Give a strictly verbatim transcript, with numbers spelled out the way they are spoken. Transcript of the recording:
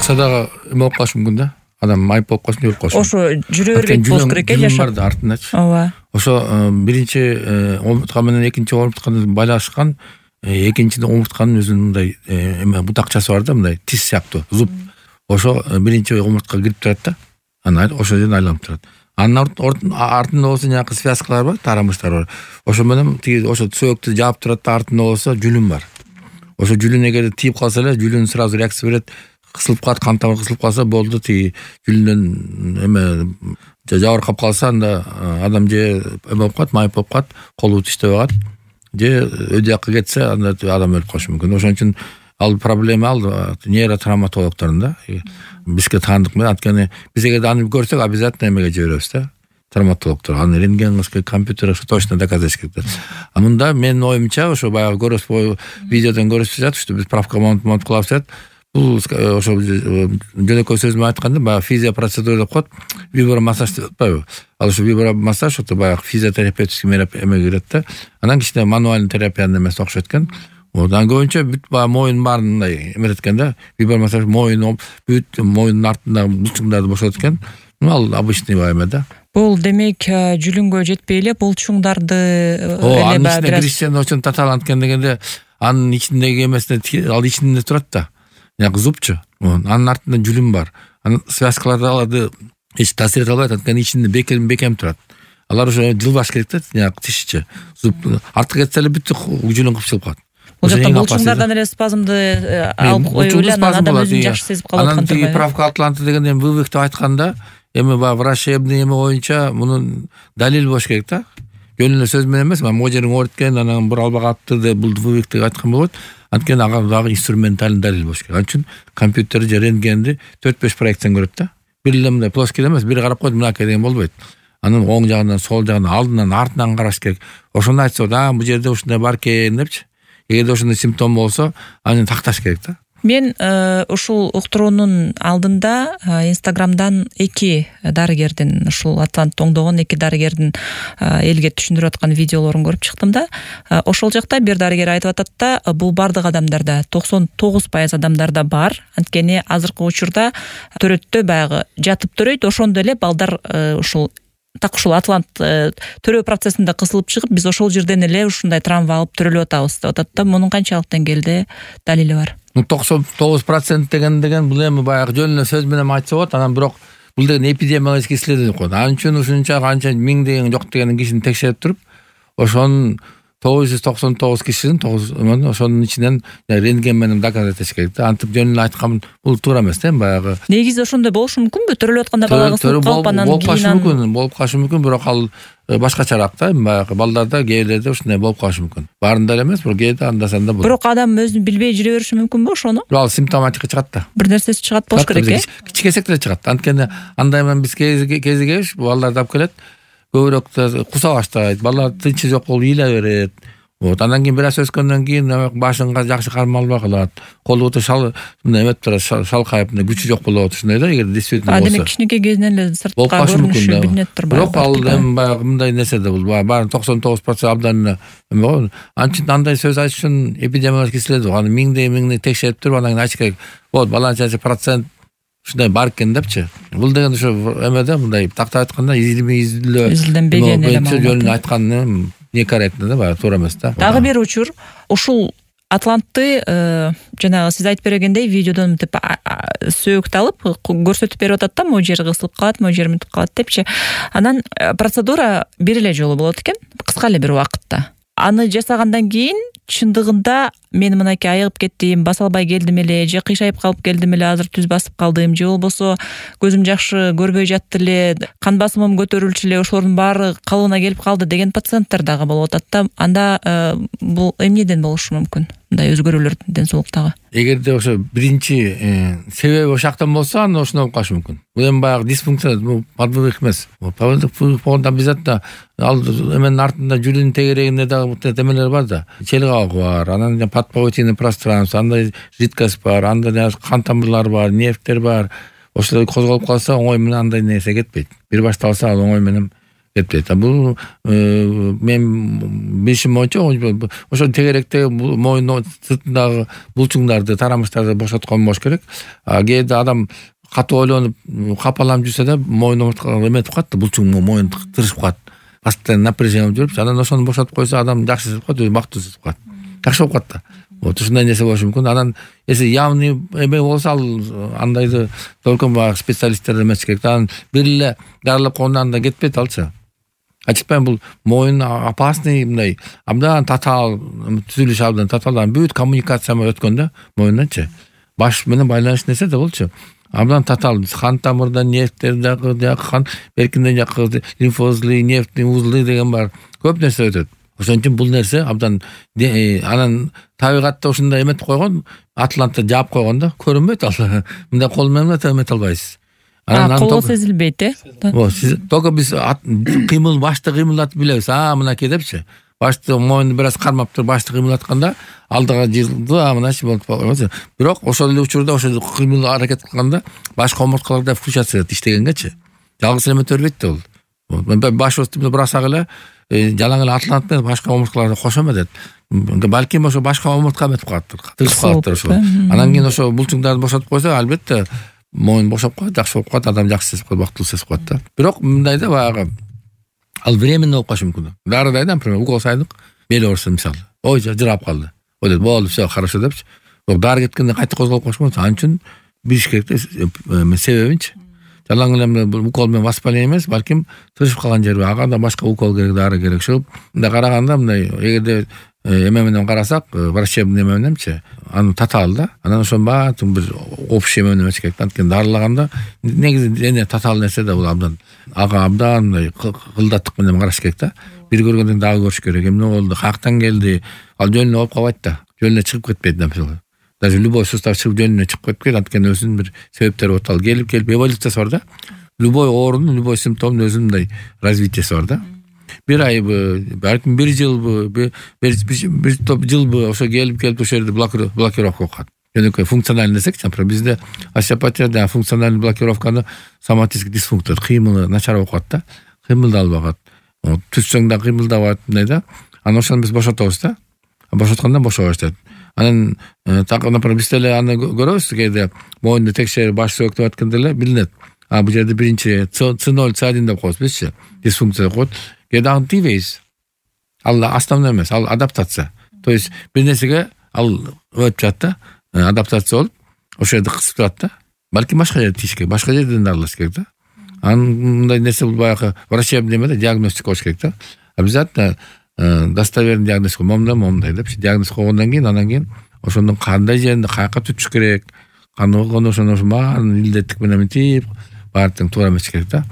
урукса дагы эме болуп калышы мүмкүн да. Адам майып болуп калсын, өлүп калышы. Ошо жүрө бербейт болуш керек э жашап. Жашап артындачы. Ооба. Ошо биринчи омуртка менен экинчи омуртканы байлашкан, экинчиде омуртканын өзүнүн мындай эме бутакчасы бар да, мындай тис сыяктуу, зуб. Ошо биринчи омурткага кирип турат да. Анан ошо жерден айланып турат. Анын артында болсо жанагы связкалар бар, тарамыштар бар. Ошо менен тиги ошо сөөктү жаап турат да, артында болсо жүлүн бар. Ошо жүлүн эгер тийип калса эле, жүлүн сразу реакция берет. Кысылып калат, кан тамыр кысылып калса болду, тиги жүлүндөн эме жабыркап калса, анда адам же эме болуп калат, майып болуп калат, колу иштебей калат. Же өйдө жакка кетсе, анда адам өлүп калышы мүмкүн. Ошон үчүн ал проблема ал нейротравматологдордун да. Бизге таандык менен, анткени биз эгер аны көрсөк, обязательно эмеге жиберебиз да. Травматологдор. Аны рентген кылыш керек, компьютер точно доказать керек. А мында менин оюмча, ошо баягы көрөсүз, видеодон көрүшүп жатат, что биз правка монт кылабыз деп. Бул ошо жөнөкөй сөз менен айтканда, баягы физиопроцедура деп коет, вибромассаж деп атпайбы? Ал ошо вибромассаж ото баягы физиотерапевтический эме кирет да. Анан кичине мануальный терапиянын эмеси окшойт экен. Одан көбүнчө бүт баягы моюн баарын мындай эметет экен да. Вибромассаж моюн бүт моюндун артындагы булчуңдарды бошотот экен. Ал обычный эме да. Бул демек жүлүнгө жетпей эле булчуңдарды эле анын ичинде кристиан очень таталанткен дегенде, анын ичиндеги эмесине ал ичинде турат да. Ягы зубчу. Анын артында жүлүн бар. Анын связкаларды аларды эч таасир эте албайт, анткени ичинде бекем бекем турат. Алар ошо жылбаш керек да, ягы тишчи. Зуб артка кетсе эле бүт жүлүн кыпчылып калат. Бул жакта булчуңдардан эле спазмды алып коюп эле анан адам өзүн жакшы сезип калат. Анан тиги правка атланты деген эми вывих деп айтканда, эми баягы врачебный эме боюнча мунун далил болуш керек да. Жөн эле сөз менен эмес, могу жериң ооруткен, анан бура албай калыптыр деп бул вывих деп айткан болот. Анткени ага дагы инструментальный далил болуш керек. Ал үчүн компьютер же рентгенди төрт беш проекциян көрөт да. Бир эле мындай плоский эмес, бир карап койду, мынакей деген болбойт. Анын оң жагынан, сол жагынан, алдынан, артынан караш керек. Ошону айтса, да, бул жерде ушундай бар экен депчи. Эгерде ошондой симптом болсо, аны такташ керек да. Мен ушул уктуруунун алдында Инстаграмдан эки дарыгердин, ушул Атлант оңдогон эки дарыгердин элге түшүндүрүп аткан видеолорун көрүп чыктым да. Ошол жакта бир дарыгер айтып атат да, бул бардык адамдарда, токсон тогуз пайыз адамдарда бар. Анткени азыркы учурда төрөттө баягы жатып төрөйт, ошондо эле балдар ушул так ушул Атлант төрөө процессинде кысылып чыгып, биз ошол жерден эле ушундай травма алып төрөлүп атабыз деп атат да. Мунун канчалык деңгээлде далили бар? токсон тогуз процент деген деген бул эми баягы жөн эле сөз менен айтса болот. Анан бирок бул деген эпидемиологический исследование коет. Анын үчүн ушунча канча миңдеген жок деген кишини текшерип туруп, ошонун тогуз жүз токсон тогуз кишинин ошонун ичинен рентген менен доказать этиш керек да. Антип жөн эле айткан бул туура эмес да, баягы. Негизи ошондой болушу мүмкүнбү? Төрөлүп атканда бала кысылып калып, анан болуп калышы мүмкүн, болуп калышы мүмкүн, бирок ал башкачараак да, баягы балдарда, кээрлерде ушундай болуп калышы мүмкүн. Баарында эле эмес, бирок кээде анда санда болот. Бирок адам өзүн билбей жүрө бериши мүмкүнбү ошону? Ал симптоматика чыгат да. Бир нерсеси чыгат болуш керек э. Кичикесек деле чыгат. Анткени андай менен биз кезигебиз, балдарды алып келет, көбүрөөк куса баштайт, балдар тынчы жок болуп ыйла берет. Вот, андан кийин бир аз өскөндөн кийин башынга жакшы кармай албай калат. Колу өтө шал мындай эмеп турат, шалкайып, күчү жок болот, ушундай да, эгер действительно болсо. Демек кичинекей кезинен эле сыртка көрүнүшү билинип тур. Бирок ал эми баягы мындай нерсе да бул, баары токсон тогуз процент абдан эме го. Анча андай сөз айтыш үчүн эпидемиологический исследование, аны миңдей миңдей текшерип туруп, анан кийин айтыш керек. Вот, баланча процент ушундай бар экен депчи. Бул деген ошо эмеде мындай тактап айтканда изилме изилөө изилденбеген эле жөнүн айтканы некорректно да, баягы туура эмес да. Дагы бир учур, ушул Атлантты жанагы сиз айтып бергендей видеодон мынтип сөөктү алып көрсөтүп берип атат да, могу жери кысылып калат, могу жери мынтип калат депчи. Анан процедура бир эле жолу болот экен, кыска эле бир убакытта. Аны жасагандан кийин чындыгында мен мынакей айыгып кеттим, баса албай келдим эле, же кыйшайып калып келдим эле, азыр түз басып калдым, же болбосо көзүм жакшы көрбөй жатты эле, кан басымым көтөрүлчү эле, ошолордун баары калыбына келип калды деген пациенттер дагы болуп атат да. Анда бул эмнеден болушу мүмкүн? Мындай өзгөрүүлөр ден соолуктагы. Эгерде ошо биринчи себеби ошактан болсо, анда ошондой болуп калышы мүмкүн. Бул эми баягы дисфункция, бул подвывих эмес. Подвывих болгондо обязательно ал эменин артында жүрүн тегерегинде дагы эмелер бар да. Челгак бар, анан подповытийный пространство, анда жидкость бар, анда кан тамырлар бар, нервтер бар. Ошолор козголуп калса, оңой менен андай нерсе кетпейт. Бир башталса, ал оңой менен кетпейт. Бул мен билишим боюнча ошо тегеректеги моюнун сыртындагы булчуңдарды, тарамыштарды бошоткон болуш керек. А кээде адам катуу ойлонуп капаланып жүрсө да моюн омурткага эметип калат да, булчуң моюн тырышып калат. Постоянно напряжение жүрүп, анан ошону бошотуп койсо адам жакшы сезип калат, өзү бактылуу сезип калат. Жакшы болуп калат да. Вот ушундай нерсе болушу мүмкүн. Анан если явный эме болсо, ал андайды только баягы специалисттер эмес керек. Анан бир эле дарылап койгондон да кетпейт алчы. Ачыкпайм, бул моюн опасный, мындай абдан татаал түзүлүш, абдан татаал бүт коммуникация өткөн да моюнданчы. Баш менен байланыш нерсе да болчу. Абдан татаал қан тамырдан, нефттерден, қан беркинден жакы лимфоузлы, нефтный узлы деген бар. Көп нерсе өтөт. Ошон үчүн бул нерсе абдан анан табигатта ушундай эметип койгон, Атлантта жаап койгон да, көрүнбөйт ал. Мындай кол менен эмете албайсыз. А кол сезилбейт, э? О, сиз только биз кыймыл, башты кыймылдатып билебиз. А, мынакей депчи. Башты моюнду бир аз кармап туруп башты кыймылдатканда алдыга жылды, а мыначы болуп калат. Бирок ошол эле учурда ошо кыймыл аракет кылганда башка омурткаларда включация иштегенгечи жалгыз эле эмете бербейт да бул. Башыбызды бурасак эле жалаң эле атлант менен башка омурткаларды кошо эметет. Балким ошо башка омуртка эметип калаттыр, тырышып калаттыр ошо. Анан кийин ошо булчуңдарды бошотуп койсо, албетте моюн бошоп калат, жакшы болуп калат, адам жакшы сезип калат, бактылуу сезип калат да. Бирок мындай да баягы ал временно болуп калышы мүмкүн. Дарыдай да, например, укол сайдык, бели ооруса мисалы. Ой, жырап калды. Ойлойт, болду, всё, хорошо депчи. Дары кеткенде кайта козголуп калыш мүмкүн. Ал үчүн билиш керек да себебинчи. Жалаң эле укол менен воспаление эмес, балким тырышып калган жерби, ага да башка укол керек, дары керек. Ошол мындай караганда, мындай эгерде эме менен карасак, врачебный эме мененчи, аны татаал да. Анан ошонун баарын бир общий эме менен эмес керек. Анткени дарылаганда негизи эне татаал нерсе да бул абдан. Ага абдан мындай кылдаттык менен караш керек да. Бир көргөндөн дагы көрүш керек. Эмне болду, каяктан келди? Ал жөнүнө болуп калбайт да. Жөнүнө чыгып кетпейт да, мисалы. Даже любой сустав чыгып жөнүнө чыгып кетпейт, анткени өзүнүн бир себептери болот. Ал келип келип эволюциясы бар да. Любой оорунун, любой симптомдун өзүнүн мындай развитиясы бар да. Бир айбы, балким бир жылбы, бир бир топ жылбы ошо келип келип ошол жерде блокировка болуп калат. Жөнөкөй функциональный десекчи, например, бизде остеопатияда функциональный блокировканы соматический дисфункция, кыймылы начар болуп калат да. Кыймылдай албагат. Түшсөң да кыймылдабайт, мындай да. Анан ошону биз бошотобуз да. Бошоткондон бошо баштайт. Анан так, например, биз деле аны көрөбүз, кээде моюнду текшерип баш сөөктөп атканда эле билинет. А бул жерде биринчи С ноль, С один деп коебуз бизчи. Дисфункция коет. Кээде аны тийбейбиз. Ал основной эмес, ал адаптация. То есть бир нерсеге ал өтүп жатат да, адаптация болуп, ошол жерде кысып турат да. Балким башка жерде тийиш керек, башка жерден дарылаш керек да. Анын мындай нерсе бул баягы врачебный эме да, диагностика болуш керек да. Обязательно достоверный диагноз момундай момундай депчи диагноз койгондон кийин, анан кийин ошондун кандай жеринде каяка түтүш керек, кандай болгондо ошону баарын илдеттик менен мынтип баары тең туура эмес керек да.